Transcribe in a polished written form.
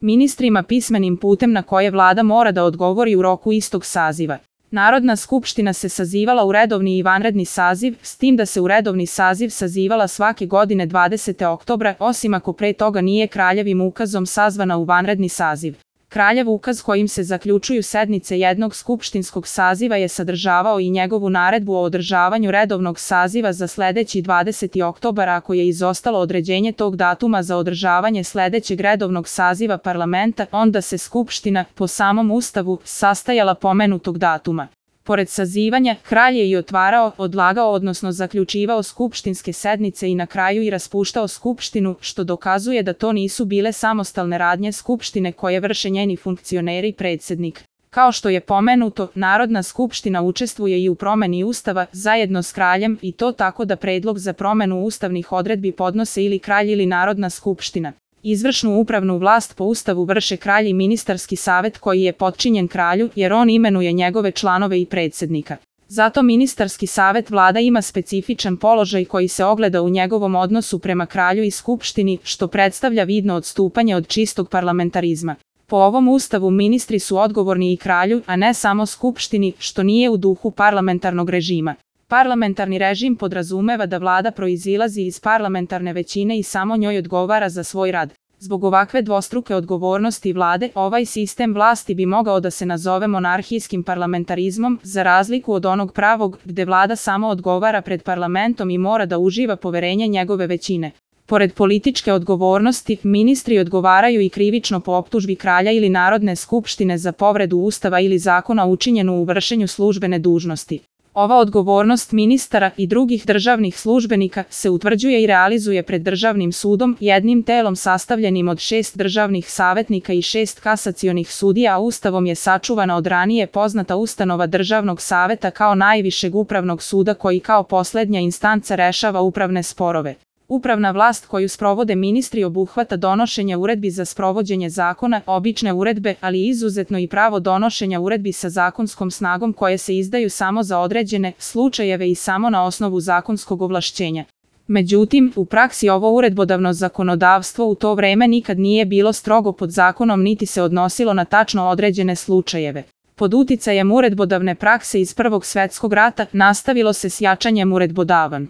ministrima pismenim putem na koje vlada mora da odgovori u roku istog saziva. Narodna skupština se sazivala u redovni i vanredni saziv, s tim da se u redovni saziv sazivala svake godine 20. oktobra, osim ako pre toga nije kraljevim ukazom sazvana u vanredni saziv. Kraljev ukaz kojim se zaključuju sednice jednog skupštinskog saziva je sadržavao i njegovu naredbu o održavanju redovnog saziva za sledeći 20. oktobar ako je izostalo određenje tog datuma za održavanje sledećeg redovnog saziva parlamenta, onda se skupština, po samom ustavu, sastajala pomenutog datuma. Pored sazivanja, kralj je i otvarao, odlagao odnosno zaključivao skupštinske sednice i na kraju i raspuštao skupštinu, što dokazuje da to nisu bile samostalne radnje skupštine koje vrše njeni funkcioneri i predsjednik. Kao što je pomenuto, Narodna skupština učestvuje i u promeni ustava zajedno s kraljem i to tako da predlog za promenu ustavnih odredbi podnose ili kralj ili Narodna skupština. Izvršnu upravnu vlast po ustavu vrše kralj i ministarski savet koji je potčinjen kralju jer on imenuje njegove članove i predsjednika. Zato ministarski savet vlada ima specifičan položaj koji se ogleda u njegovom odnosu prema kralju i skupštini, što predstavlja vidno odstupanje od čistog parlamentarizma. Po ovom ustavu ministri su odgovorni i kralju, a ne samo skupštini, što nije u duhu parlamentarnog režima. Parlamentarni režim podrazumeva da vlada proizilazi iz parlamentarne većine i samo njoj odgovara za svoj rad. Zbog ovakve dvostruke odgovornosti vlade, ovaj sistem vlasti bi mogao da se nazove monarhijskim parlamentarizmom, za razliku od onog pravog, gde vlada samo odgovara pred parlamentom i mora da uživa poverenje njegove većine. Pored političke odgovornosti, ministri odgovaraju i krivično po optužbi kralja ili Narodne skupštine za povredu ustava ili zakona učinjenu u vršenju službene dužnosti. Ova odgovornost ministara i drugih državnih službenika se utvrđuje i realizuje pred državnim sudom, jednim telom sastavljenim od 6 državnih savetnika i 6 kasacionih sudija, a ustavom je sačuvana od ranije poznata ustanova državnog saveta kao najvišeg upravnog suda koji kao poslednja instanca rešava upravne sporove. Upravna vlast koju sprovode ministri obuhvata donošenje uredbi za sprovođenje zakona, obične uredbe, ali izuzetno i pravo donošenja uredbi sa zakonskom snagom koje se izdaju samo za određene slučajeve i samo na osnovu zakonskog ovlašćenja. Međutim, u praksi ovo uredbodavno zakonodavstvo u to vreme nikad nije bilo strogo pod zakonom niti se odnosilo na tačno određene slučajeve. Pod uticajem uredbodavne prakse iz Prvog svetskog rata nastavilo se s jačanjem uredbodavan.